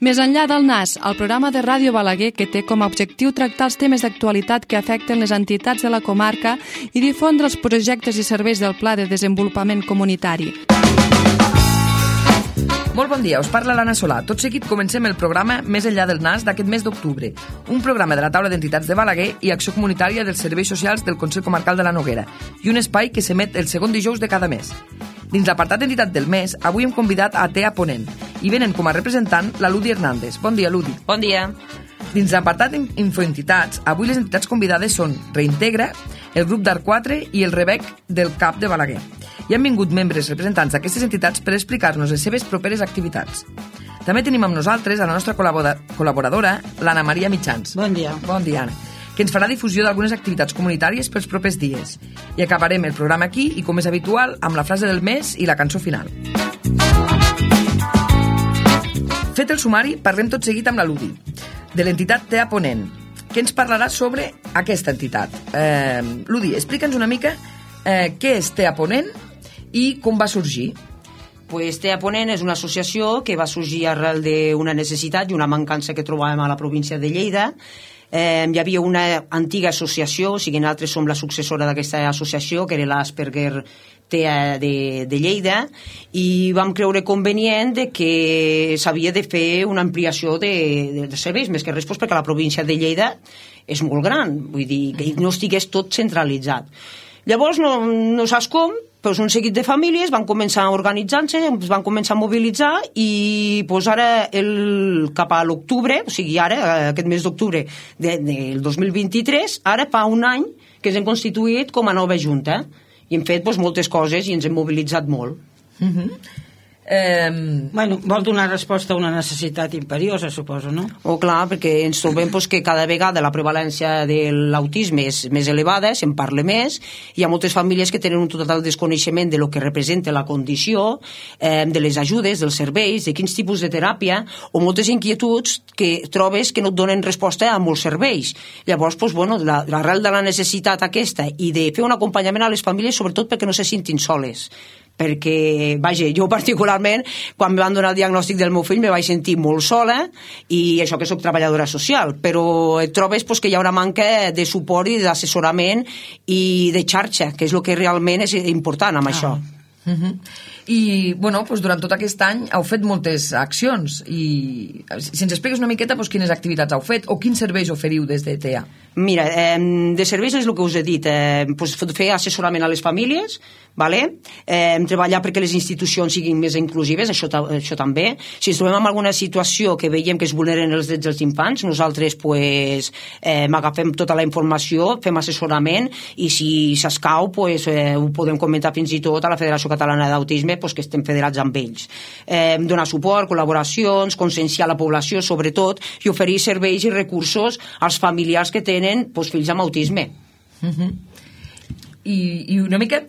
Més enllà del NAS, el programa de Ràdio Balaguer que té com a objectiu tractar els temes d'actualitat que afecten les entitats de la comarca i difondre els projectes i serveis del Pla de Desenvolupament Comunitari. Molt bon dia, us parla l'Anna Solà. Tot seguit comencem el programa Més enllà del NAS d'aquest mes d'octubre, un programa de la taula d'entitats de Balaguer i acció comunitària dels serveis socials del Consell Comarcal de la Noguera i un espai que s'emet el segon dijous de cada mes. Dins l'apartat d'entitat del mes, avui hem convidat a TEA Ponent i venen com a representant la Ludi Hernández. Bon dia, Ludi. Bon dia. Dins l'apartat Infoentitats, avui les entitats convidades són Reintegra, el grup d'Art 4 i el Rebec del CAP de Balaguer. I han vingut membres representants d'aquestes entitats per explicar-nos les seves properes activitats. També tenim amb nosaltres a la nostra col·laboradora, l'Anna Maria Mitjans. Bon dia. Bon dia, Anna, que ens farà difusió d'algunes activitats comunitàries pels propers dies. I acabarem el programa aquí i, com és habitual, amb la frase del mes i la cançó final. Fet el sumari, parlem tot seguit amb la Ludi, de l'entitat TEA Ponent, que ens parlarà sobre aquesta entitat. Ludi, explica'ns una mica què és TEA Ponent i com va sorgir. Pues TEA Ponent és una associació que va sorgir arrel d'una necessitat i una mancança que trobàvem a la província de Lleida. Hi havia una antiga associació, o sigui, nosaltres som la successora d'aquesta associació, que era l'Asperger TEA de Lleida, i vam creure convenient que s'havia de fer una ampliació de serveis, més que res perquè la província de Lleida és molt gran, vull dir, que no estigués tot centralitzat. Llavors, no saps com, però un seguit de famílies van començar a organitzar-se, es van començar a mobilitzar i doncs ara cap a l'octubre, o sigui ara, aquest mes d'octubre del 2023, ara fa un any que ens hem constituït com a nova junta i hem fet moltes coses i ens hem mobilitzat molt. Bueno, vol donar resposta a una necessitat imperiosa, suposo, no? Clar, perquè ens trobem que cada vegada la prevalència de l'autisme és més elevada, se'n parla més, hi ha moltes famílies que tenen un total desconeixement de lo que representa la condició, de les ajudes, dels serveis, de quins tipus de teràpia, o moltes inquietuds que trobes que no et donen resposta a molts serveis. Llavors, l'arrel de la necessitat aquesta i de fer un acompanyament a les famílies, sobretot perquè no se sentin soles, perquè, vaja, jo particularment quan em van donar el diagnòstic del meu fill me vaig sentir molt sola i això que soc treballadora social, però et trobes que hi ha una manca de suport i d'assessorament i de xarxa, que és el que realment és important amb això. I durant tot aquest any heu fet moltes accions i si ens expliques una miqueta quines activitats heu fet o quins serveis oferiu des de TEA. Mira, de serveis és el que us he dit, fer assessorament a les famílies, treballar perquè les institucions siguin més inclusives, això també. Si ens trobem en alguna situació que veiem que es vulneren els drets dels infants, nosaltres agafem tota la informació, fem assessorament i si s'escau ho podem comentar fins i tot a la Federació Catalana d'Autisme, que estem federats amb ells. Donar suport, col·laboracions, conscienciar la població sobretot i oferir serveis i recursos als familiars que tenen fills amb autisme. I una mica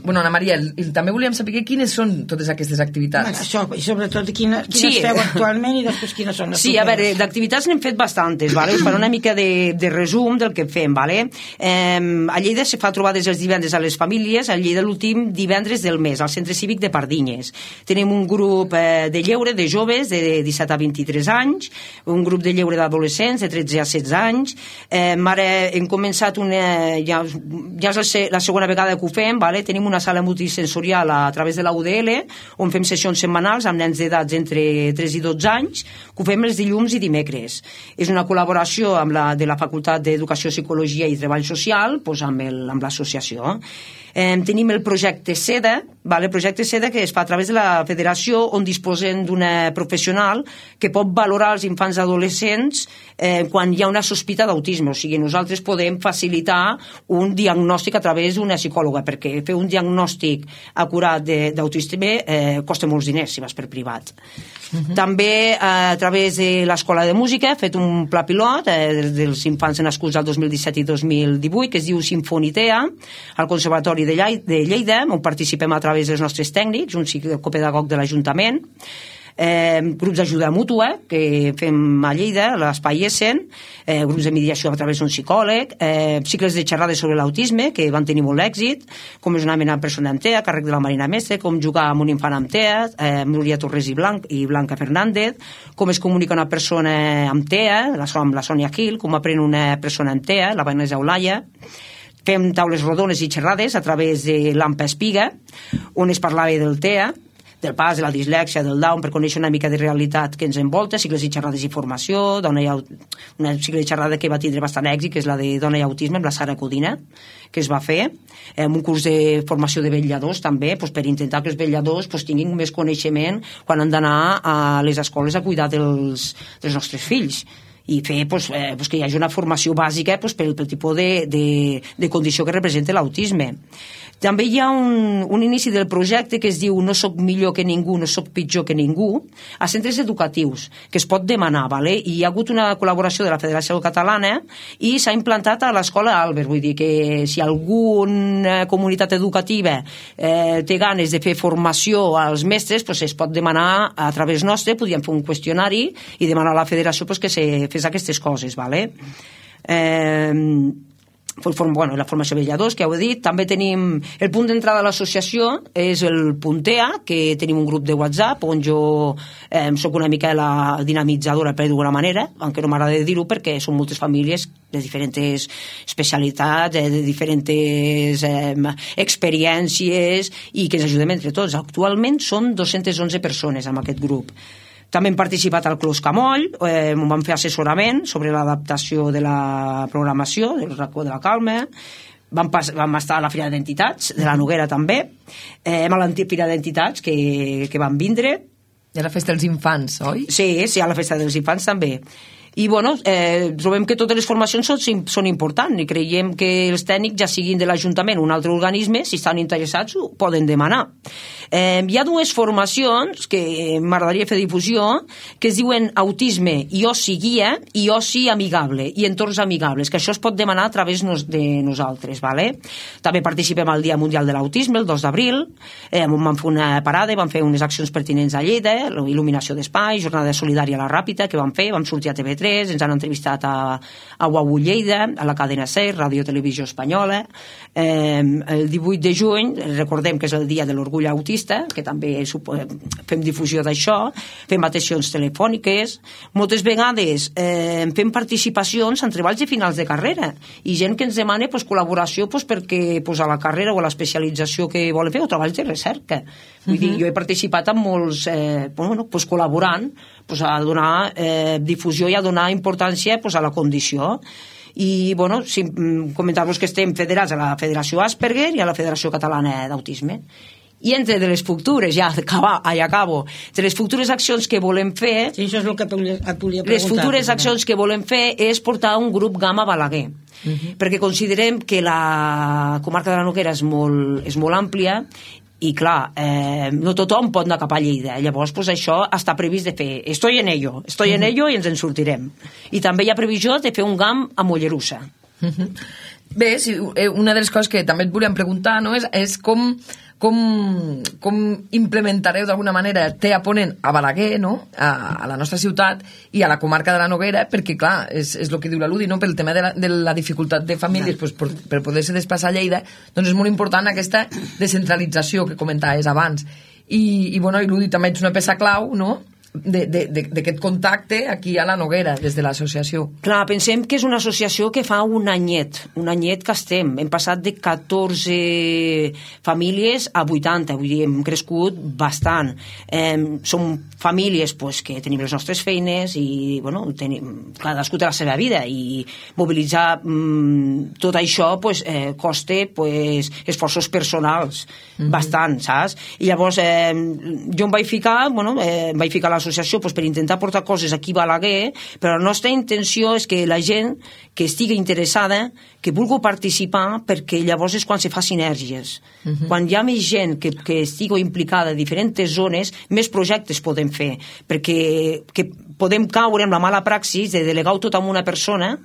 Anna Maria, també volíem saber quines són totes aquestes activitats. Això, i sobretot quines feu actualment i després quines són les Sí, a veure, d'activitats n'hem fet bastantes, us faré una mica de resum del que fem. A Lleida se fa trobades els divendres a les famílies, a Lleida l'últim divendres del mes, al Centre Cívic de Pardinyes. Tenim un grup de lleure de joves de 17 a 23 anys, un grup de lleure d'adolescents de 13 a 16 anys. Ara hem començat ja és la segona vegada que ho fem, tenim una sala multisensorial a través de la UDL on fem sessions setmanals amb nens d'edats entre 3 i 12 anys, que ho fem els dilluns i dimecres. És una col·laboració de la Facultat d'Educació, Psicologia i Treball Social amb l'associació. Tenim el projecte SEDA, el projecte SEDA que es fa a través de la federació on disposem d'una professional que pot valorar els infants i adolescents quan hi ha una sospita d'autisme, o sigui, nosaltres podem facilitar un diagnòstic a través d'una psicòloga, perquè fer un diagnòstic acurat d'autisme costa molts diners si vas per privat. També a través de l'Escola de Música he fet un pla pilot dels infants nascuts al 2017 i 2018 que es diu Sinfonitea al Conservatori de Lleida, on participem a través dels nostres tècnics, un psicopedagog de l'Ajuntament. grups d'ajuda mútua que fem a Lleida, a l'Espai Essen, grups de mediació a través d'un psicòleg, cicles de xerrades sobre l'autisme que van tenir molt èxit, com és una mena de persona amb TEA, càrrec de la Marina Mestre, com jugar amb un infant amb TEA, Núria Torres i Blanca Fernández, com es comunica una persona amb TEA, amb la Sònia Gil, com aprèn una persona amb TEA, la Vanessa Eulàlia. Fem taules rodones i xerrades a través de l'AMPA Espiga, on es parlava del TEA, del pas, de la dislèxia, del Down, per conèixer una mica de realitat que ens envolta, cicles i xerrades i formació, una cicle de xerrada que va tindre bastant èxit, que és la de Dona i Autisme, amb la Sara Codina, que es va fer, un curs de formació de vetlladors també, per intentar que els vetlladors tinguin més coneixement quan han d'anar a les escoles a cuidar dels nostres fills, i fer que hi hagi una formació bàsica pel tipus de condició que representa l'autisme. També hi ha un inici del projecte que es diu No soc millor que ningú, no soc pitjor que ningú, a centres educatius, que es pot demanar, ¿vale? I hi ha hagut una col·laboració de la Federació Catalana i s'ha implantat a l'Escola Albert, vull dir que si alguna comunitat educativa té ganes de fer formació als mestres, es pot demanar a través nostre, podríem fer un qüestionari i demanar a la Federació que se fes aquestes coses, ¿vale? La formació de vetlladors, que heu dit. També tenim el punt d'entrada a l'associació, és el Puntea, que tenim un grup de WhatsApp on jo soc una mica la dinamitzadora, per d'alguna manera, aunque no m'agrada dir-ho perquè són moltes famílies de diferents especialitats, de diferents experiències, i que ens ajudem entre tots. Actualment som 211 persones en aquest grup. També hem participat al Clos Camoll, on vam fer assessorament sobre l'adaptació de la programació, del racó de la Calma, vam estar a la Fira d'Entitats, de la Noguera també, a l'antiga Fira d'Entitats que van vindre. I a la Festa dels Infants, oi? Sí, a la Festa dels Infants també. I trobem que totes les formacions són importants i creiem que els tècnics, ja siguin de l'Ajuntament o un altre organisme, si estan interessats ho poden demanar. Hi ha dues formacions que m'agradaria fer difusió, que es diuen Autisme i Oci Guia i Oci Amigable i Entorns Amigables, que això es pot demanar a través de nosaltres, ¿vale? També participem al Dia Mundial de l'Autisme, el 2 d'abril, vam fer una parada, vam fer unes accions pertinents a Lleida, il·luminació d'espais, jornada solidària a la Ràpita que vam fer, vam sortir a TV3, ens han entrevistat a UAU Lleida, a la cadena SER, Ràdio Televisió Espanyola. El 18 de juny, recordem que és el dia de l'orgull autista, que també fem difusió d'això, fem atencions telefòniques, moltes vegades fem participacions en treballs de finals de carrera, i gent que ens demana col·laboració perquè a la carrera o a l'especialització que volen fer, o treballs de recerca. Vull dir, jo he participat amb molts, col·laborant a donar difusió i a donar importància a la condició. I comentar-vos que estem federats a la Federació Asperger i a la Federació Catalana d'Autisme. I entre de les futures, acabo, entre les futures accions que volem fer, sí, això és el que et volia preguntar. Les futures accions que volem fer és portar un grup GAM a Balaguer, perquè considerem que la comarca de la Noguera és molt àmplia i clar, no tothom pot anar cap a Lleida, llavors això està previst de fer, estoy en ello i ens en sortirem. I també hi ha previsió de fer un GAM a Mollerussa. Bé, una de les coses que també et volíem preguntar és com implementareu d'alguna manera TEA Ponent a Balaguer, a la nostra ciutat i a la comarca de la Noguera, perquè clar, és el que diu la Ludi, pel tema de la dificultat de famílies per poder-se desplaçar a Lleida, doncs és molt important aquesta descentralització que comentaves abans. I Ludi també ets una peça clau, no?, d'aquest contacte aquí a la Noguera des de l'associació. Clar, pensem que és una associació que fa un anyet que estem, hem passat de 14 famílies a 80, vull dir, hem crescut bastant. Som famílies que tenim les nostres feines i cadascú té la seva vida i mobilitzar tot això costa esforços personals bastant, saps? I llavors jo em vaig ficar a l'associació per intentar portar coses aquí a Balaguer, però la nostra intenció és que la gent que estigui interessada, que vulgui participar, perquè llavors és quan se fa sinergies. Quan hi ha més gent que estigui implicada en diferents zones, més projectes podem fer, perquè podem caure en la mala praxis de delegar-ho tot en una persona,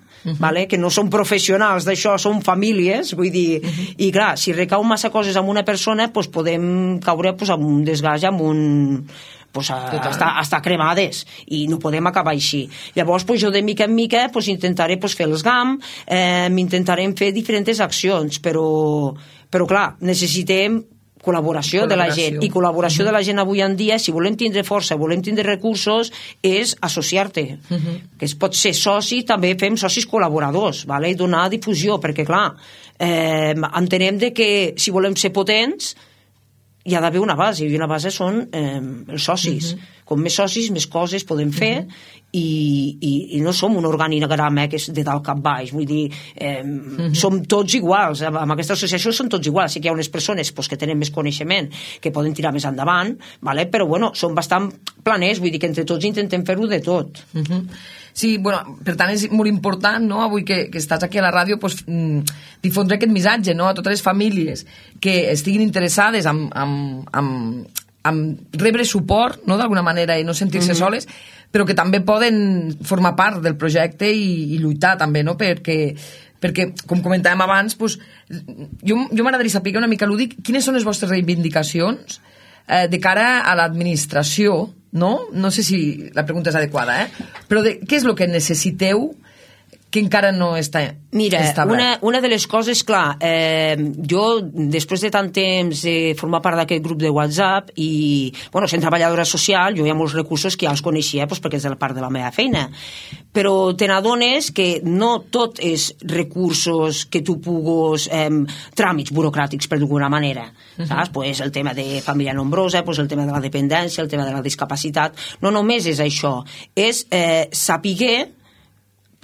que no són professionals d'això, són famílies, vull dir, i clar, si recau massa coses en una persona, podem caure en un desgast, en pues, hasta cremades, i no podem acabar així. Llavors pues, jo de mica en mica pues, intentaré pues, fer els GAM, intentarem fer diferents accions, però clar, necessitem col·laboració de la gent, i col·laboració de la gent avui en dia, si volem tindre força, volem tindre recursos, és associar-te, que es pot ser soci, també fem socis col·laboradors, vale? I donar difusió, perquè clar, entenem de que si volem ser potents hi ha d'haver una base, i una base són els socis. Com més socis, més coses podem fer, i no som un organigrama que és de dalt cap baix, vull dir, som tots iguals, amb aquesta associació són tots iguals, sí que hi ha unes persones pues, que tenen més coneixement, que poden tirar més endavant, vale? Però bueno, són bastant planers, vull dir que entre tots intentem fer-ho de tot. Sí, bueno, per tant és molt important, no?, avui que estàs aquí a la ràdio, pues, difondre aquest missatge, no?, a totes les famílies que estiguin interessades en rebre suport, no?, d'alguna manera, i no sentir-se soles, però que també poden formar part del projecte i lluitar també, no?, perquè com comentàvem abans, pues, jo m'agradaria saber una mica, Lúdic, quines són les vostres reivindicacions de cara a l'administració, no? No sé si la pregunta és adequada, però què és el que necessiteu que encara no està establert? Mira, una de les coses, clar, jo, després de tant temps de formar part d'aquest grup de WhatsApp i, bueno, sent treballadora social, jo hi ha molts recursos que ja els coneixia perquè és de la part de la meva feina, però te n'adones que no tot és recursos que tu puguis, tràmits burocràtics, per d'alguna manera, saps? Pues el tema de família nombrosa, pues el tema de la dependència, el tema de la discapacitat, no només és això, és saber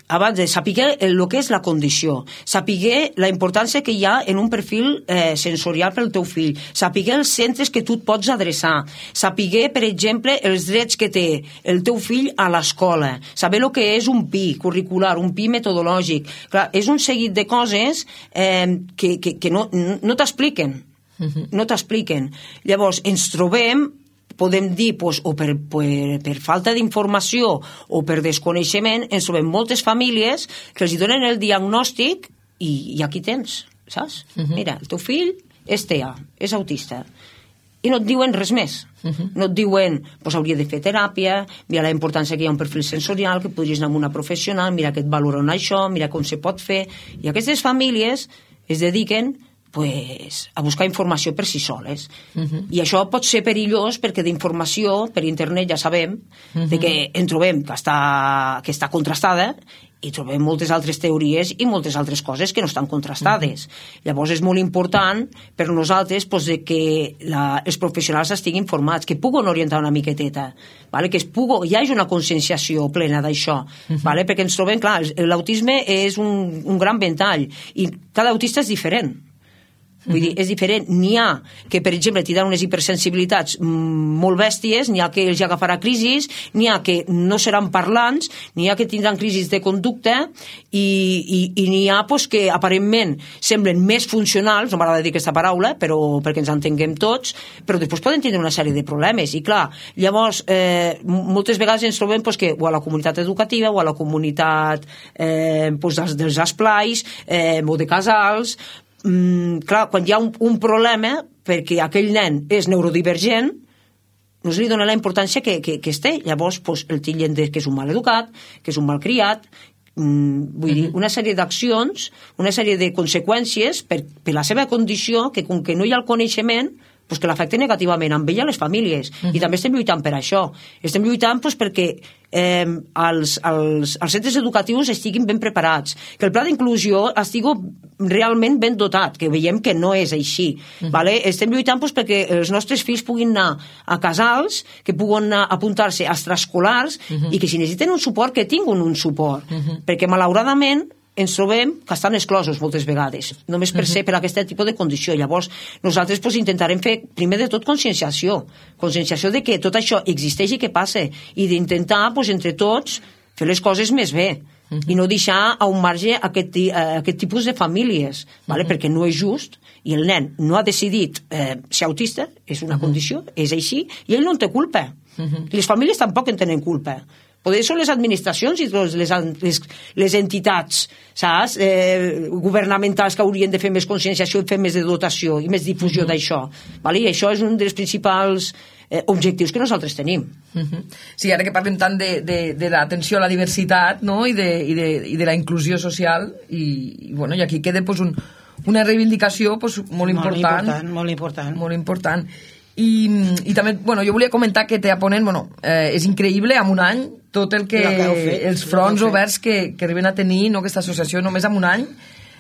abans de saber el que és la condició, saber la importància que hi ha en un perfil sensorial pel teu fill, saber els centres que tu et pots adreçar, saber, per exemple, els drets que té el teu fill a l'escola, saber el que és un PI curricular, un PI metodològic. Clar, és un seguit de coses que no t'expliquen. No t'expliquen. Llavors, ens trobem, podem dir, pues, o per falta d'informació o per desconeixement, ens trobem moltes famílies que els donen el diagnòstic i aquí tens, saps? Mira, el teu fill és TEA, és autista, i no et diuen res més. No et diuen, pues, hauria de fer teràpia, mira la importància que hi ha un perfil sensorial, que podries anar amb una professional, mira que et valoren això, mira com se pot fer, i aquestes famílies es dediquen a buscar informació per si soles. I això pot ser perillós perquè d'informació per internet ja sabem que en trobem que està contrastada i trobem moltes altres teories i moltes altres coses que no estan contrastades. Llavors és molt important per nosaltres que els professionals estiguin formats, que puguin orientar una miqueteta, que hi hagi una conscienciació plena d'això, perquè ens trobem, clar, l'autisme és un gran ventall i cada autista és diferent. Vull dir, és diferent. N'hi ha que, per exemple, tindran unes hipersensibilitats molt bèsties, n'hi ha que els agafarà crisis, n'hi ha que no seran parlants, n'hi ha que tindran crisis de conducta i n'hi ha que aparentment semblen més funcionals, no m'agrada dir aquesta paraula, però perquè ens entenguem tots, però després poden tenir una sèrie de problemes. I clar, llavors, moltes vegades ens trobem que o a la comunitat educativa o a la comunitat dels esplais o de casals, clar, quan hi ha un problema perquè aquell nen és neurodivergent, no se li dona la importància que es té. Llavors el titllen que és un mal educat, que és un mal criat, vull dir, una sèrie d'accions, una sèrie de conseqüències per la seva condició, que com que no hi ha el coneixement, que l'afecta negativament amb ell i a les famílies. I també estem lluitant per això. Estem lluitant perquè els centres educatius estiguin ben preparats, que el pla d'inclusió estigui realment ben dotat, que veiem que no és així. Estem lluitant perquè els nostres fills puguin anar a casals, que puguin apuntar-se a extraescolars i que si necessiten un suport, que tinguin un suport. Perquè malauradament ens trobem que estan exclosos moltes vegades, només per ser per aquest tipus de condició. Llavors, nosaltres intentarem fer, primer de tot, conscienciació de que tot això existeix i que passa, i d'intentar, entre tots, fer les coses més bé, i no deixar a un marge aquest tipus de famílies, perquè no és just, i el nen no ha decidit ser autista, és una condició, és així, i ell no en té culpa. Les famílies tampoc en tenen culpa. Potser són les administracions i les entitats, saps, governamentals, que haurien de fer més conscienciació i fer més de dotació i més difusió d'això. I això és un dels principals objectius que nosaltres tenim. Sí, ara que parlem tant de l'atenció a la diversitat, no? I de la inclusió social, i aquí queda una reivindicació molt important. Molt important. I també, jo volia comentar que té a Ponent, és increïble, en un any, tot el que els fronts oberts que arriben a tenir, aquesta associació, només en un any,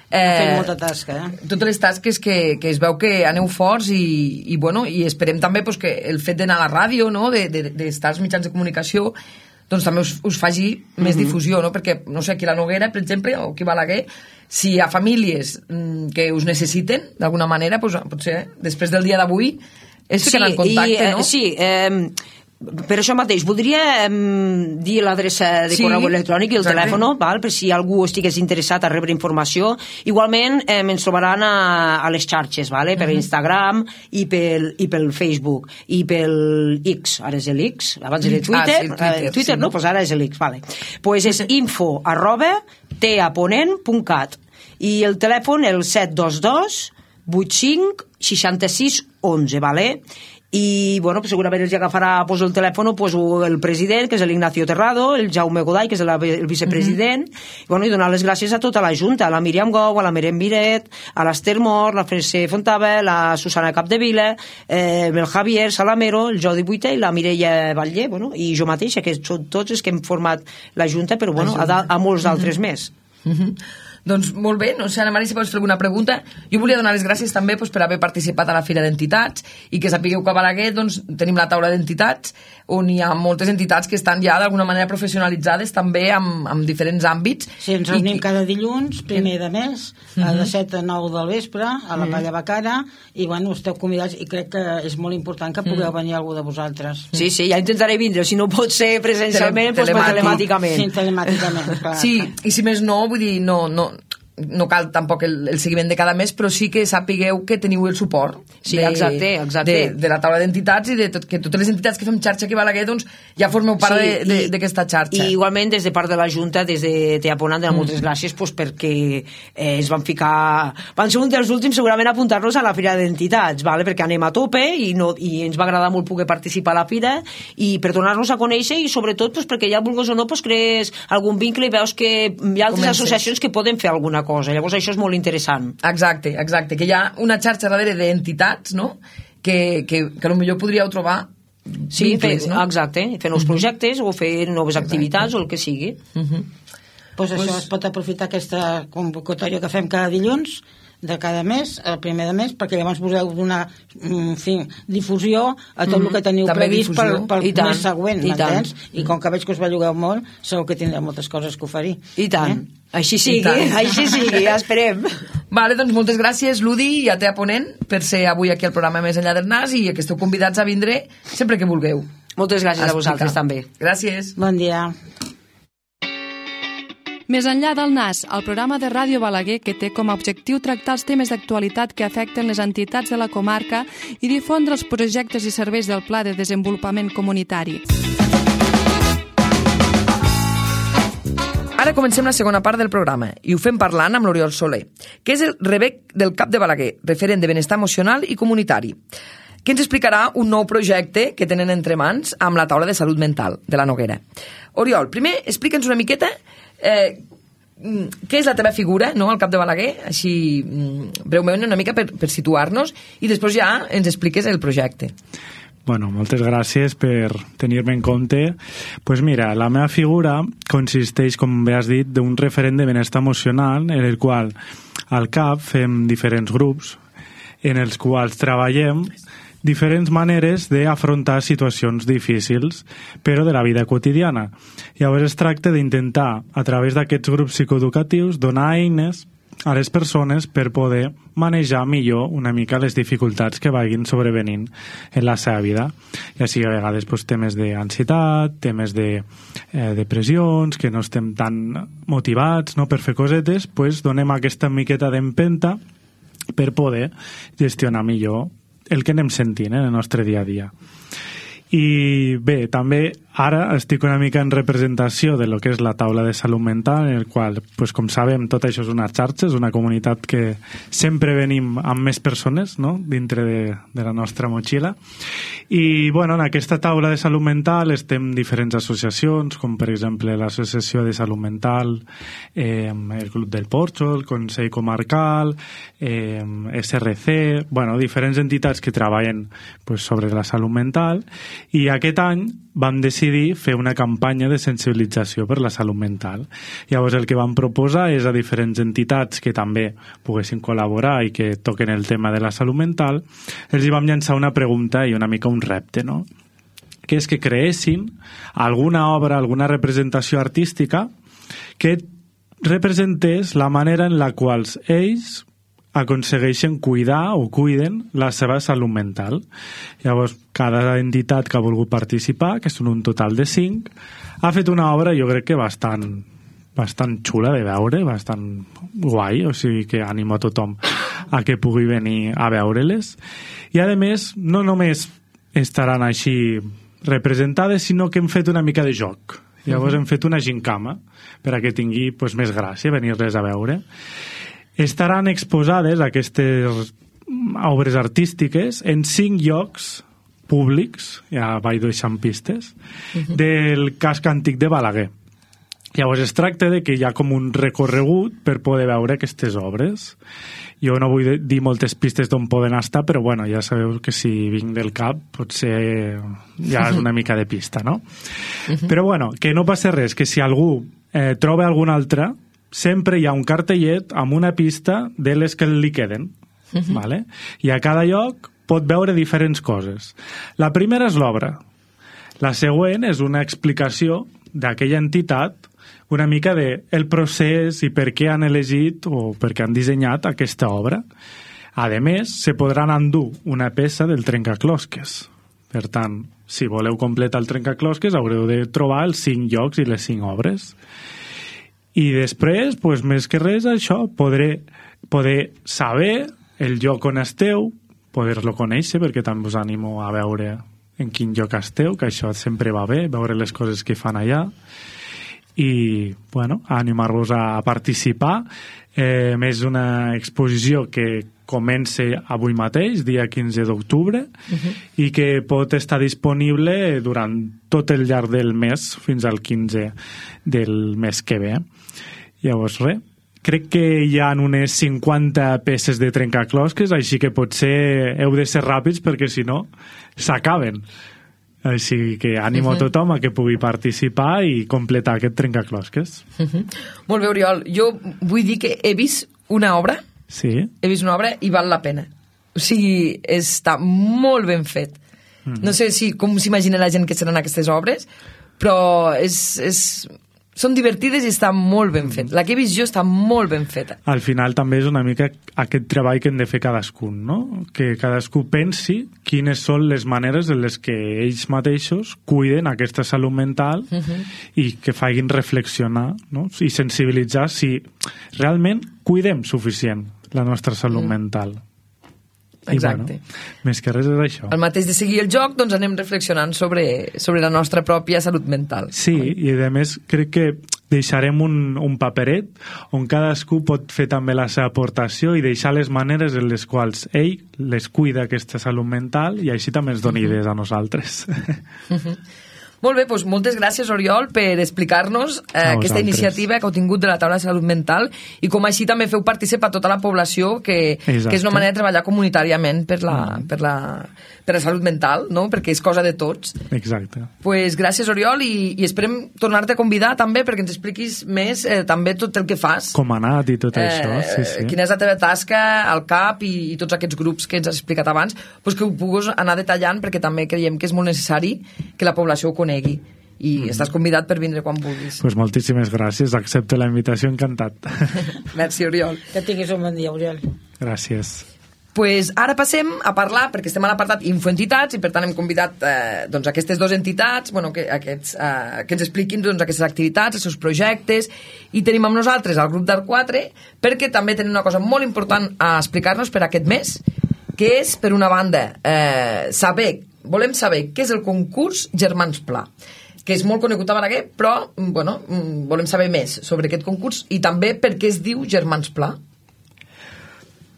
ha fet molta tasca, totes les tasques que es veu que aneu forts i esperem també que el fet d'anar a la ràdio, d'estar als mitjans de comunicació, doncs també us faci més difusió, no? Perquè, no sé, aquí a la Noguera, per exemple, o aquí a Balaguer, si hi ha famílies que us necessiten, d'alguna manera, potser després del dia d'avui es fiquen en contacte, no? Sí, per això mateix, voldria dir l'adreça de correu electrònic i el telèfon, per si algú estigués interessat a rebre informació. Igualment ens trobaran a les xarxes, per Instagram i pel Facebook i pel X, ara és l'X, abans era Twitter, no? Doncs ara és l'X, doncs és info@teaponent.cat i el telèfon el 722 85 66 11, i segurament els agafarà el telèfon el president, que és l'Ignacio Terrado, el Jaume Goday, que és el vicepresident, i donar les gràcies a tota la Junta, a la Míriam Gou, a la Merem Miret, a l'Ester Mor, la Frese Fontava, la Susana Capdevila, el Javier Salamero, el Jordi Buité i la Mireia Batlle, i jo mateixa, que són tots els que hem format la Junta, però a molts d'altres més. Doncs molt bé, no sé, Ana Maria, si pots fer alguna pregunta. Jo volia donar les gràcies també per haver participat a la Fira d'Entitats i que sapigueu que a Balaguer tenim la taula d'entitats on hi ha moltes entitats que estan ja d'alguna manera professionalitzades també en diferents àmbits. Sí, ens reunim cada dilluns, primer de mes, de 7 a 9 del vespre, a la Palla Bacara, i esteu convidats i crec que és molt important que pugueu venir algú de vosaltres. Sí, ja intentaré vindre, si no pot ser presencialment, telemàticament. Sí, telemàticament, clar. Sí, i si més no, vull dir, no cal tampoc el seguiment de cada mes, però sí que sapigueu que teniu el suport de la taula d'entitats i que totes les entitats que fem xarxa aquí a Balaguer ja formeu part d'aquesta xarxa. I igualment des de part de la Junta, des de Teaponant, donar moltes gràcies perquè es van ser un dels últims segurament a apuntar-nos a la Fira d'Entitats, perquè anem a tope i ens va agradar molt poder participar a la Fira i per donar-nos a conèixer i sobretot perquè ja vulguis o no crees algun vincle i veus que hi ha altres associacions que poden fer alguna cosa. Llavors això és molt interessant. Exacte, que hi ha una xarxa darrere d'entitats, no? Que potser podríeu trobar vincles, no? Exacte, fer nous projectes o fer noves activitats o el que sigui. Doncs això es pot aprofitar aquesta convocatòria que fem cada dilluns de cada mes, el primer de mes, perquè llavors podeu donar difusió a tot el que teniu previst pel mes següent, m'entens? I com que veig que us bellugueu molt, segur que tindreu moltes coses que oferir. I tant. Així sigui, ja esperem. Vale, doncs moltes gràcies, Ludi, i a Teaponent, per ser avui aquí al programa Més enllà del Nas i que esteu convidats a vindre sempre que vulgueu. Moltes gràcies a vosaltres també. Gràcies. Bon dia. Més enllà del Nas, el programa de Ràdio Balaguer que té com a objectiu tractar els temes d'actualitat que afecten les entitats de la comarca i difondre els projectes i serveis del Pla de Desenvolupament Comunitari. Ara comencem la segona part del programa i ho fem parlant amb l'Oriol Soler, que és el rebec del CAP de Balaguer, referent de benestar emocional i comunitari, que ens explicarà un nou projecte que tenen entre mans amb la taula de salut mental de la Noguera. Oriol, primer explica'ns una miqueta què és la teva figura, no?, al CAP de Balaguer, així breument una mica per situar-nos, i després ja ens expliques el projecte. Bueno, moltes gràcies per tenir-me en compte. Pues mira, la meva figura consisteix, com bé has dit, d'un referent de benestar emocional, en el qual al CAP fem diferents grups en els quals treballem diferents maneres d'afrontar situacions difícils, però de la vida quotidiana. Llavors es tracta d'intentar, a través d'aquests grups psicoeducatius, donar eines a les persones per poder manejar millor una mica les dificultats que vagin sobrevenint en la seva vida. Ja sigui a vegades temes d'ansietat, temes de depressions, que no estem tan motivats per fer cosetes, donem aquesta miqueta d'empenta per poder gestionar millor el que anem sentint en el nostre dia a dia. I bé, també Ara estic una mica en representació de lo que és la taula de salut mental, en el qual, pues, com sabem, tot això és una xarxa, és una comunitat que sempre venim amb més persones, no?, dintre de la nostra motxilla. I, bueno, en aquesta taula de salut mental estem diferents associacions, com per exemple l'Associació de Salut Mental, el Club del Porxo, el Consell Comarcal, SRC, bueno, diferents entitats que treballen, pues, sobre la salut mental, i aquest any vam decidir fer una campanya de sensibilització per la salut mental. Llavors el que vam proposar és a diferents entitats que també poguessin col·laborar i que toquen el tema de la salut mental, els hi vam llançar una pregunta i una mica un repte, no?, que és que creessin alguna obra, alguna representació artística que representés la manera en la qual ells aconsegueixen cuidar o cuiden la seva salut mental. Llavors, cada entitat que ha volgut participar, que són un total de 5, ha fet una obra, jo crec que bastant xula de veure, bastant guai, o sigui que animo a tothom a que pugui venir a veure-les. I, a més, no només estaran així representades, sinó que hem fet una mica de joc. Llavors hem fet una gincama per a que tingui, pues, més gràcia venir-les a veure. Estaran exposades aquestes obres artístiques en 5 llocs públics, ja vaig deixant pistes, del casc antic de Balaguer. Llavors es tracta de que hi ha com un recorregut per poder veure aquestes obres. Jo no vull dir moltes pistes d'on poden estar, però bueno, ja sabeu que si vinc del cap potser ja és una mica de pista, no? Però bueno, que no passa res, que si algú troba alguna altra, sempre hi ha un cartellet amb una pista de les que li queden. Vale? I a cada lloc pot veure diferents coses. La primera és l'obra. La següent és una explicació d'aquella entitat, una mica del procés i per què han elegit o per què han dissenyat aquesta obra. A més, se podran endur una peça del trencaclosques. Per tant, si voleu completar el trencaclosques, haureu de trobar els 5 llocs i les 5 obres. I després, pues, més que res, això, poder saber el lloc on esteu, poder-lo conèixer, perquè també us animo a veure en quin lloc esteu, que això sempre va bé, veure les coses que fan allà, i, bueno, animar-vos a participar. És una exposició que comença avui mateix, dia 15 d'octubre, i que pot estar disponible durant tot el llarg del mes, fins al 15 del mes que ve. Llavors, res, crec que hi ha unes 50 peces de trencaclosques, així que potser heu de ser ràpids perquè si no s'acaben. Així que animo a tothom a que pugui participar i completar aquest trencaclosques. Molt bé, Oriol. Jo vull dir que he vist una obra, sí. He vist una obra i val la pena. O sigui, està molt ben fet. No sé com s'imagina la gent que seran aquestes obres, però són divertides i està molt ben fet. La que he vist jo està molt ben feta. Al final també és una mica aquest treball que hem de fer cadascun, no? Que cadascú pensi quines són les maneres en les que ells mateixos cuiden aquesta salut mental i que facin reflexionar, no? I sensibilitzar si realment cuidem suficient la nostra salut mental. Exacte. I, bueno, més que res és això. Al mateix de seguir el joc, doncs anem reflexionant sobre la nostra pròpia salut mental. Sí, i a més crec que deixarem un paperet on cadascú pot fer també la seva aportació i deixar les maneres en les quals ell les cuida aquesta salut mental i així també ens doni idees a nosaltres. Molt bé, doncs moltes gràcies, Oriol, per explicar-nos aquesta iniciativa que heu tingut de la taula de salut mental i com així també feu participar tota la població, que és una manera de treballar comunitàriament per la salut mental, no? Perquè és cosa de tots. Exacte. Pues gràcies, Oriol, i esperem tornar-te a convidar també perquè ens expliquis més també tot el que fas. Com ha anat i tot això, sí. Quina és la teva tasca al CAP i tots aquests grups que ens has explicat abans, pues que ho puguis anar detallant perquè també creiem que és molt necessari que la població ho conegui. I estàs convidat per vindre quan vulguis. Pues moltíssimes gràcies, accepto la invitació, encantat. Merci, Oriol. Que tinguis un bon dia, Oriol. Gràcies. Pues ara passem a parlar, perquè estem a l'apartat Infoentitats i per tant hem convidat doncs, aquestes dues entitats que ens expliquin doncs, aquestes activitats, els seus projectes, i tenim amb nosaltres el grup d'Art4 perquè també tenen una cosa molt important a explicar-nos per aquest mes, que és, per una banda, volem saber què és el concurs Germans Pla. que és molt conegut a Balaguer, però bueno, volem saber més sobre aquest concurs i també per què es diu Germans Pla.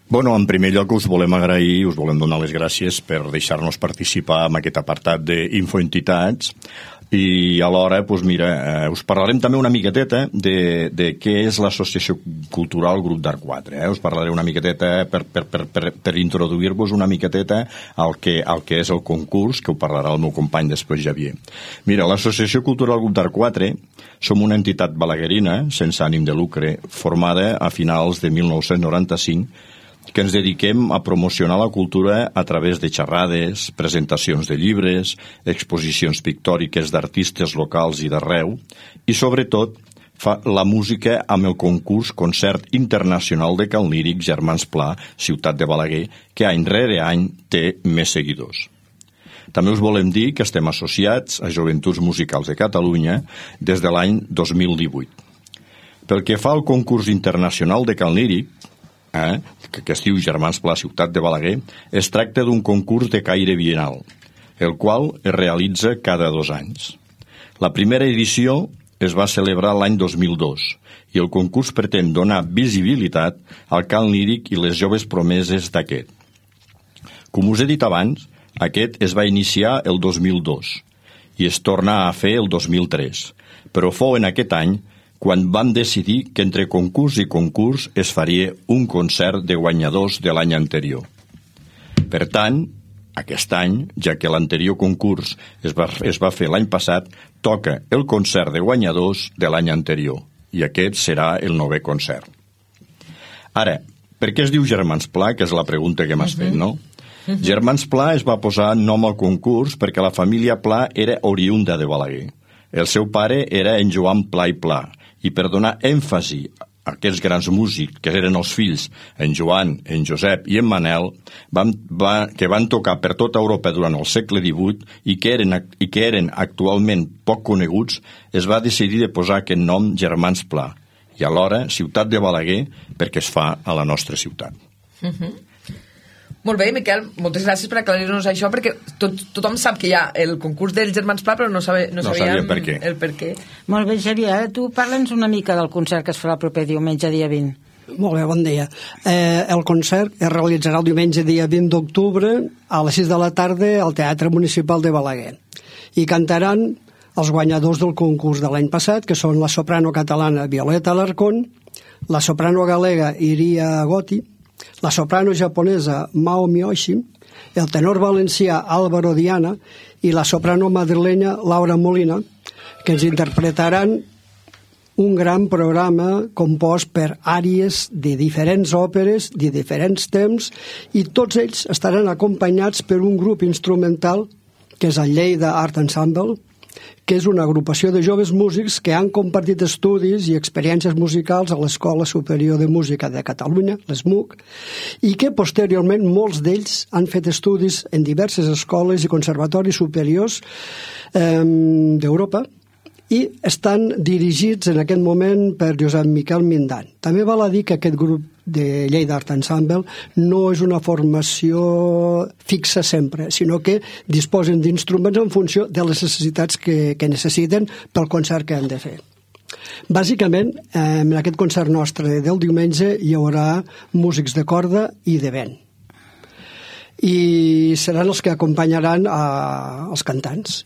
Bueno, en primer lloc us volem agrair, us volem donar les gràcies per deixar-nos participar en aquest apartat d'Infoentitats i alhora, doncs mira, us parlarem també una miqueteta de què és l'Associació Cultural Grup d'Art 4. Us parlaré una miqueteta per introduir-vos una miqueteta al que és el concurs, que ho parlarà el meu company després, Javier. Mira, l'Associació Cultural Grup d'Art 4 som una entitat balaguerina, sense ànim de lucre, formada a finals de 1995, que ens dediquem a promocionar la cultura a través de xerrades, presentacions de llibres, exposicions pictòriques d'artistes locals i d'arreu, i sobretot fa la música amb el concurs Concert Internacional de Cant Líric Germans Pla, ciutat de Balaguer, que any rere any té més seguidors. També us volem dir que estem associats a Joventuts Musicals de Catalunya des de l'any 2018. Pel que fa al concurs internacional de Cant Líric, que es diu Germans Pla, ciutat de Balaguer, es tracta d'un concurs de caire bienal, el qual es realitza cada 2 anys. La primera edició es va celebrar l'any 2002 i el concurs pretén donar visibilitat al cant líric i les joves promeses d'aquest. Com us he dit abans, aquest es va iniciar el 2002 i es torna a fer el 2003, però fou en aquest any quan vam decidir que entre concurs i concurs es faria un concert de guanyadors de l'any anterior. Per tant, aquest any, ja que l'anterior concurs es va fer l'any passat, toca el concert de guanyadors de l'any anterior, i aquest serà el 9è concert. Ara, per què es diu Germans Pla, que és la pregunta que m'has fet, no? Germans Pla es va posar nom al concurs perquè la família Pla era oriunda de Balaguer. El seu pare era en Joan Pla i Pla, i per donar èmfasi a aquests grans músics, que eren els fills, en Joan, en Josep i en Manel, que van tocar per tota Europa durant el segle XVIII i que eren actualment poc coneguts, es va decidir de posar aquest nom Germans Pla, i alhora Ciutat de Balaguer, perquè es fa a la nostra ciutat. Molt bé, Miquel, moltes gràcies per aclarir-nos això, perquè tothom sap que hi ha el concurs dels Germans Pla, però no sabíem per què. El per què. Molt bé, Xavier, tu parla'ns una mica del concert que es farà el proper diumenge, dia 20. Molt bé, bon dia. El concert es realitzarà el diumenge dia 20 d'octubre a les 6 de la tarda al Teatre Municipal de Balaguer. I cantaran els guanyadors del concurs de l'any passat, que són la soprano catalana Violeta Alarcón, la soprano galega Iria Gotti, la soprano japonesa Mao Miyoshi, el tenor valencià Álvaro Diana i la soprano madrilenya Laura Molina, que ens interpretaran un gran programa compost per àries de diferents òperes, de diferents temps, i tots ells estaran acompanyats per un grup instrumental que és el Lleida Art Ensemble, que és una agrupació de joves músics que han compartit estudis i experiències musicals a l'Escola Superior de Música de Catalunya, l'ESMUC, i que posteriorment molts d'ells han fet estudis en diverses escoles i conservatoris superiors d'Europa i estan dirigits en aquest moment per Josep Miquel Mindan. També val a dir que aquest grup de Lleida Art Ensemble no és una formació fixa sempre, sinó que disposen d'instruments en funció de les necessitats que necessiten pel concert que han de fer. Bàsicament, en aquest concert nostre del diumenge hi haurà músics de corda i de vent. I seran els que acompanyaran els cantants.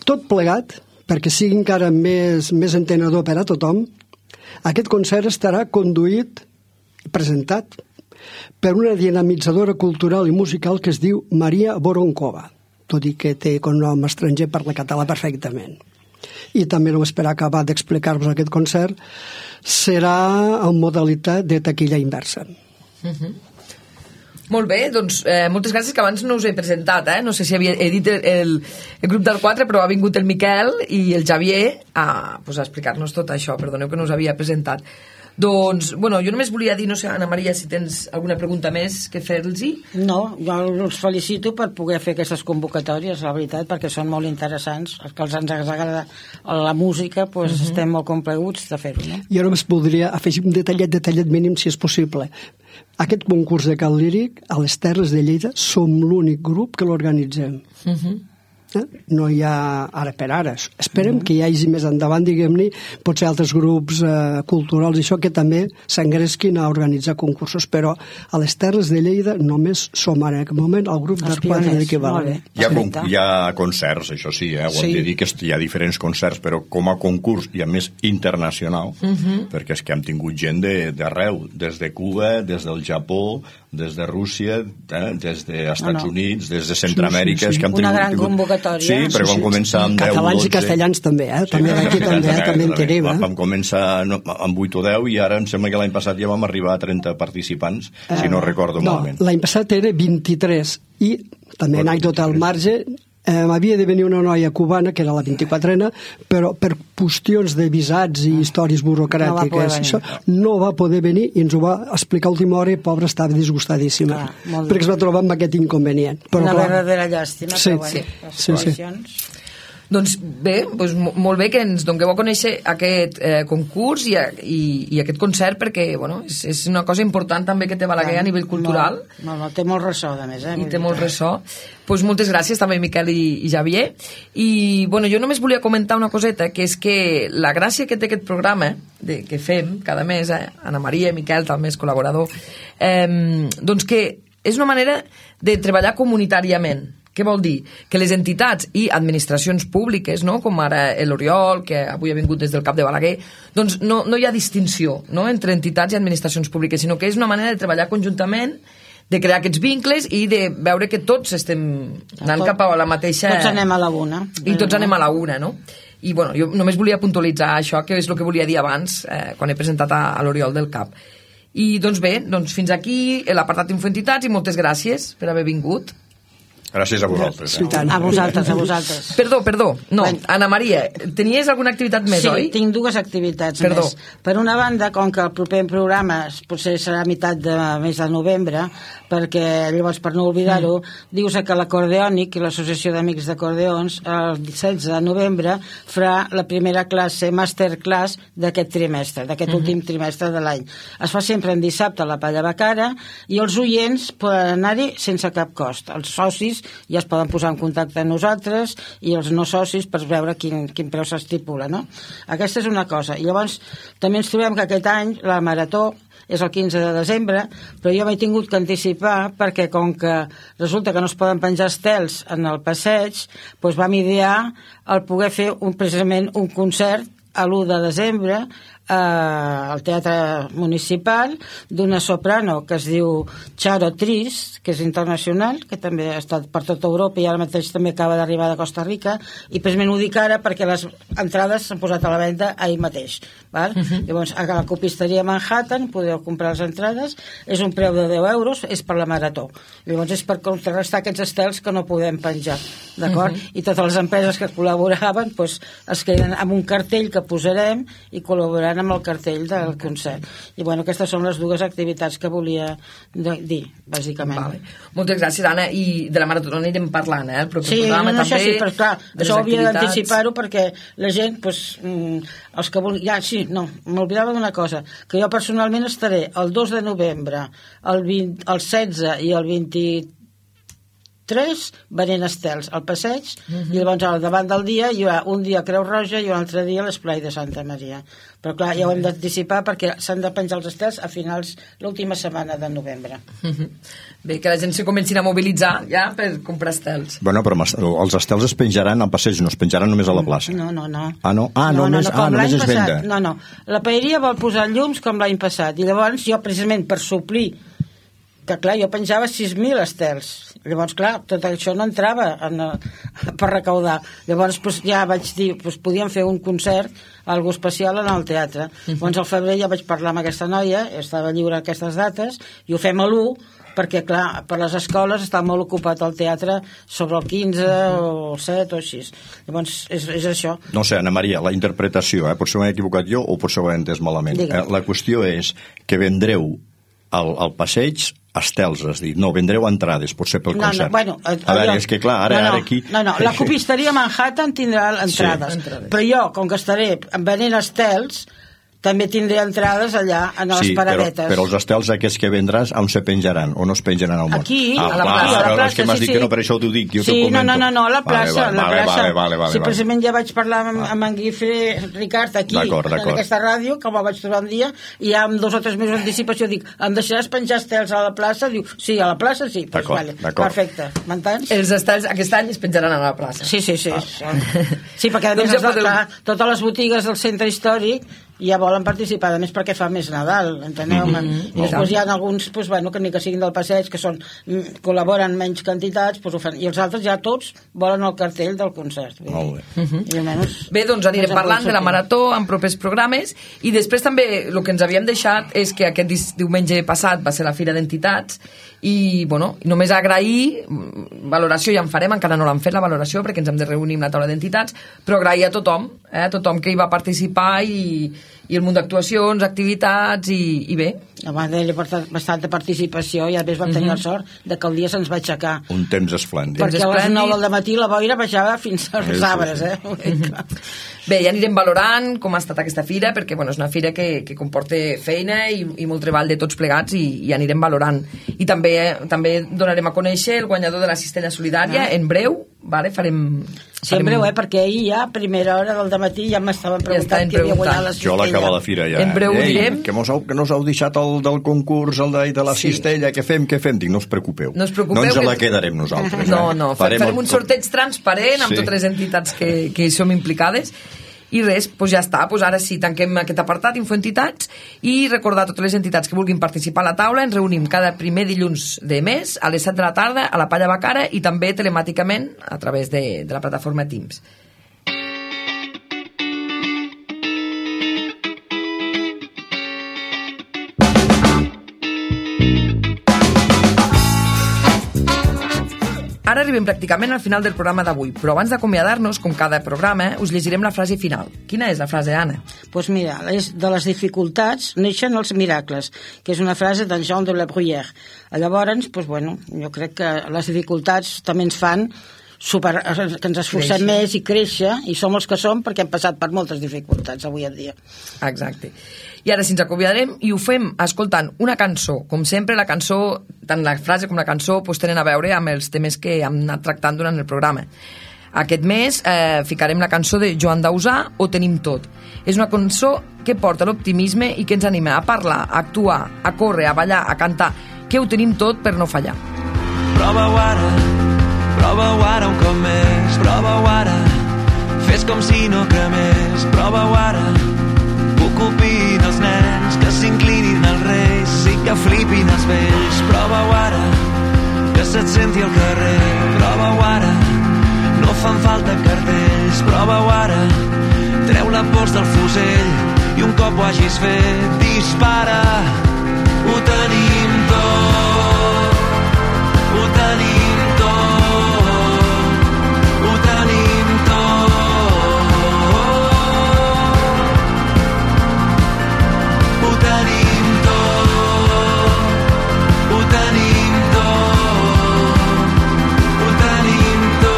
Tot plegat, perquè sigui encara més entenedor per a tothom, aquest concert estarà conduït i presentat per una dinamitzadora cultural i musical que es diu Maria Voronkova, tot i que té cognom estranger, parla català perfectament. I també, només per acabar d'explicar-vos aquest concert, serà en modalitat de taquilla inversa. Molt bé, doncs moltes gràcies, que abans no us he presentat, no sé si he dit el grup del 4, però ha vingut el Miquel i el Javier a explicar-nos tot això, perdoneu que no us havia presentat. Doncs, bueno, jo només volia dir, no sé, Ana Maria, si tens alguna pregunta més que fer-los-hi. No, jo els felicito per poder fer aquestes convocatòries, la veritat, perquè són molt interessants. Els que ens agrada la música, doncs estem molt complaguts de fer-ho, no? Jo només voldria afegir un detallet mínim, si és possible. Aquest concurs de cant líric, a les Terres de Lleida, som l'únic grup que l'organitzem. No hi ha ara per ara. Esperem que hi hagi més endavant, diguem-ne, potser altres grups culturals i això que també s'engresquin a organitzar concursos, però a les Terres de Lleida només som ara en aquest moment el grup d'Esquadra de Balaguer. Hi ha concerts, això sí, ho hem de dir que hi ha diferents concerts, però com a concurs i a més internacional, perquè és que hem tingut gent d'arreu, des de Cuba, des del Japó, des de Rússia, des dels Estats Units, des de Centroamèrica, és que hem tingut... Una gran convocatòria. Sí, perquè vam començar amb 10 o 12... Catalans i castellans també, també d'aquí també en tenim. Vam començar amb 8 o 10 i ara em sembla que l'any passat ja vam arribar a 30 participants, si no recordo malament. L'any passat era 23 i també anècdota al marge, havia de venir una noia cubana, que era la 24ena, però per qüestions de visats i històries burocràtiques no va poder venir i ens ho va explicar a última hora i pobra estava disgustadíssima perquè es va trobar amb aquest inconvenient. Una verdadera llàstima, però bueno, Doncs bé, molt bé que ens dongueu a conèixer aquest concurs i aquest concert, perquè és una cosa important també que té Balaguer a nivell cultural. Té molt ressò, a més. I té molt ressò. Doncs moltes gràcies també, Miquel i Xavier. I jo només volia comentar una coseta, que és que la gràcia que té aquest programa que fem cada mes, Anna Maria, Miquel també és col·laborador, doncs que és una manera de treballar comunitàriament. Què vol dir? Que les entitats i administracions públiques, com ara l'Oriol, que avui ha vingut des del CAP de Balaguer, doncs no hi ha distinció entre entitats i administracions públiques, sinó que és una manera de treballar conjuntament, de crear aquests vincles i de veure que tots estem anant cap a la mateixa... Tots anem a la una. I tots anem a la una, no? I jo només volia puntualitzar això, que és el que volia dir abans, quan he presentat a l'Oriol del CAP. I doncs bé, fins aquí l'apartat Infoentitats i moltes gràcies per haver vingut. Gràcies a vosaltres. A vosaltres. Perdó. No, Anna Maria, tenies alguna activitat més, oi? Sí, tinc dues activitats més. Per una banda, com que el proper programa potser serà a meitat de mes de novembre, perquè llavors, per no oblidar-ho, dius que l'Acordeònic i l'Associació d'Amics d'Acordeons el 16 de novembre farà la primera classe, masterclass d'aquest trimestre, d'aquest últim trimestre de l'any. Es fa sempre en dissabte a la Palla Bacara i els oients poden anar-hi sense cap cost. Els socis ja es poden posar en contacte amb nosaltres i els no socis per veure quin preu s'estipula, no? Aquesta és una cosa. I llavors també ens trobem que aquest any la marató és el 15 de desembre, però jo m'he tingut que anticipar perquè com que resulta que no es poden penjar estels en el passeig, doncs vam idear el poder fer precisament un concert a l'1 de desembre al Teatre Municipal d'una soprano que es diu Charo Tris, que és internacional, que també ha estat per tota Europa i ara mateix també acaba d'arribar de Costa Rica, i precisament ho dic ara perquè les entrades s'han posat a la venda ahir mateix, val? Llavors a la copisteria Manhattan podeu comprar les entrades, és un preu de 10 euros, és per la marató, llavors és per contrarrestar aquests estels que no podem penjar, d'acord? I totes les empreses que col·laboraven doncs, es queden amb un cartell que posarem i col·laboraran amb el cartell del concert. I bueno, aquestes són les dues activitats que volia dir, bàsicament. Vale. Moltes gràcies, Anna, i de la marató anirem parlant, el proper programa també. Això sí, però clar, això hauria d'anticipar-ho perquè la gent, doncs, els que vulguin... m'oblidava d'una cosa, que jo personalment estaré el 2 de novembre, el 16 i el 23 venent estels al passeig, i llavors al davant del dia hi ha un dia a Creu Roja i un altre dia a l'Esplai de Santa Maria. Però clar, ja ho hem d'anticipar perquè s'han de penjar els estels a finals l'última setmana de novembre. Bé, que la gent se comencin a mobilitzar ja per comprar estels. Bueno, però els estels es penjaran al passeig, no es penjaran només a la plaça. No. Ah, no? Només es venda. No. La paeria vol posar llums com l'any passat, i llavors jo precisament per suplir que clar, jo penjava 6.000 estels, llavors clar, tot això no entrava per recaudar, llavors ja vaig dir, podíem fer un concert algo especial en el teatre. Llavors al febrer ja vaig parlar amb aquesta noia, estava lliure aquestes dates, i ho fem a l'1 perquè clar, per les escoles està molt ocupat el teatre sobre el 15 o el 7 o així, llavors és això. No sé, Anna Maria, la interpretació, potser m'he equivocat jo o potser ho he entès malament. La qüestió és que vendreu al passeig estels, has dit. No, vendreu entrades, potser pel concert. A veure, és que clar, ara aquí... No, la copisteria Manhattan tindrà entrades, però jo, com que estaré venent estels, també tindré entrades allà, a les paradetes. Però els estels aquests que vendràs, on se penjaran? O no es penjaran al món? Aquí, a la plaça. És que m'has dit que no, per això t'ho dic, jo t'ho comento. No, a la plaça. Vale. Sí, precisament ja vaig parlar amb en Guifré Ricard aquí, en aquesta ràdio, que me'l vaig trobar un dia, i ja amb 2 o 3 mesos d'anticipació dic, em deixaràs penjar estels a la plaça? Diu, sí, a la plaça sí. D'acord. Perfecte, m'entens? Els estels aquest any es penjaran a la plaça. Sí. Sí, perquè a més totes les botigues del centre històric ja volen participar, a més perquè fa més Nadal, enteneu-me? I després hi ha alguns que ni que siguin del passeig, que col·laboren menys quantitats, i els altres ja tots volen el cartell del concert. Molt bé. Bé, doncs anirem parlant de la Marató en propers programes, i després també el que ens havíem deixat és que aquest diumenge passat va ser la Fira d'Entitats, i només agrair, valoració ja en farem, encara no l'han fet la valoració perquè ens hem de reunir amb la taula d'entitats, però agrair a tothom que hi va participar i el munt d'actuacions, activitats i bé. Va haver bastanta participació i a més vam tenir la sort que el dia se'ns va aixecar. Un temps esplèndid. Perquè a les 9 del matí la boira baixava fins als arbres. Bé, ja anirem valorant com ha estat aquesta fira, perquè és una fira que comporta feina i molt treball de tots plegats i anirem valorant. I també donarem a conèixer el guanyador de la cistella solidària en breu, farem... Sí, en breu, perquè ahir ja, a primera hora del dematí, ja m'estaven preguntant qui havia guanyat la cistella. Jo a l'acabar la fira ja. En breu ho direm. Que no us heu deixat el del concurs, el de la cistella, què fem? Dic, no us preocupeu. No ens la quedarem nosaltres. No, farem un sorteig transparent amb totes les entitats que hi som implicades. I res, ja està, ara sí, tanquem aquest apartat, Infoentitats, i recordar a totes les entitats que vulguin participar a la taula, ens reunim cada primer dilluns de mes a les 7 de la tarda a la Palla Bacara i també telemàticament a través de la plataforma Teams. Ara arribem pràcticament al final del programa d'avui, però abans d'acomiadar-nos, com cada programa, us llegirem la frase final. Quina és la frase, Anna? Doncs mira, de les dificultats neixen els miracles, que és una frase d'en Jean de la Bruyère. Llavors, jo crec que les dificultats també ens fan que ens esforcem més i créixer, i som els que som perquè hem passat per moltes dificultats avui en dia. Exacte. I ara sí ens acomiadarem i ho fem escoltant una cançó. Com sempre, la cançó, tant la frase com la cançó, tenen a veure amb els temes que hem anat tractant durant el programa. Aquest mes ficarem la cançó de Joan Dausà, Ho tenim tot. És una cançó que porta l'optimisme i que ens anima a parlar, a actuar, a córrer, a ballar, a cantar, que ho tenim tot per no fallar. Prova-ho ara un cop més, prova-ho ara, fes com si no cremés, prova-ho ara, ocupin els nens, que s'inclinin els reis i que flipin els vells, prova-ho ara, que se't senti al carrer, prova-ho ara, no fan falta cartells, prova-ho ara, treu la pols del fusell i un cop ho hagis fet, dispara, ho tenim tot, ho tenim tot, ho tenim tot, ho tenim tot, ho tenim tot, ho tenim tot.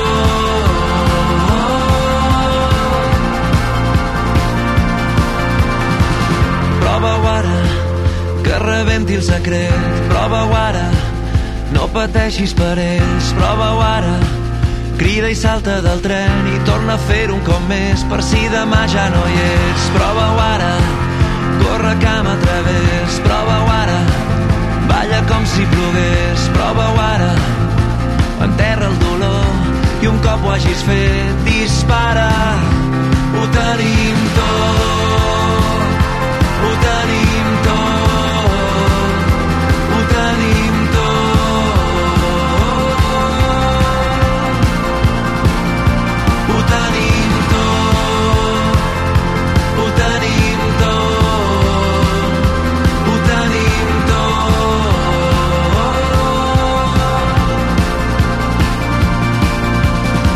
Prova-ho ara, que rebenti el secret, prova-ho ara, no pateixis per ells, prova-ho ara, crida i salta del tren i torna a fer un cop més per si demà ja no hi ets, prova-ho ara, corre cama a través, prova-ho ara, balla com si plogués, prova-ho ara, enterra el dolor i un cop ho hagis fet, dispara, ho tenim tot, ho tenim tot, ho tenim tot, ho tenim tot, ho tenim tot, ho tenim tot.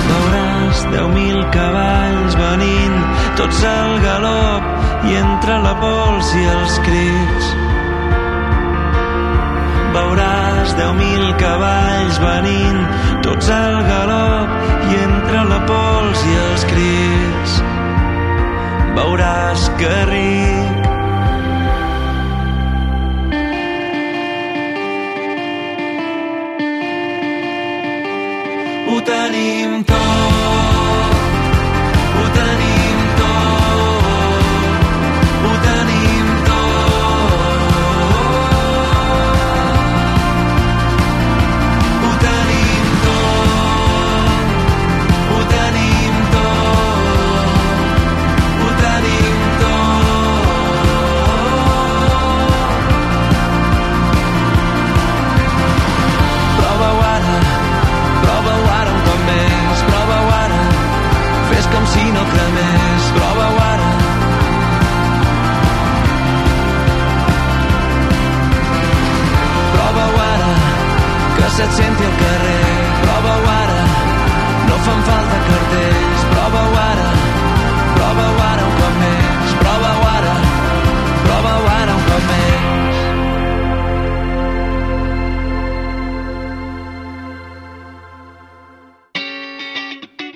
Veuràs 10.000 cavalls venint, tots al galop, i entre la pols i els crits. Veuràs 10.000 cavalls venint, tots al galop, i entre la pols i els crits. Veuràs que ric se't senti al carrer. Prova-ho ara, no fan falta cartells. Prova-ho ara un cop més. Prova-ho ara un cop més.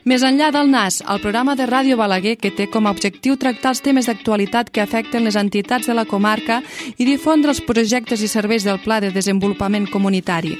Més enllà del NAS, el programa de Ràdio Balaguer que té com a objectiu tractar els temes d'actualitat que afecten les entitats de la comarca i difondre els projectes i serveis del Pla de Desenvolupament Comunitari.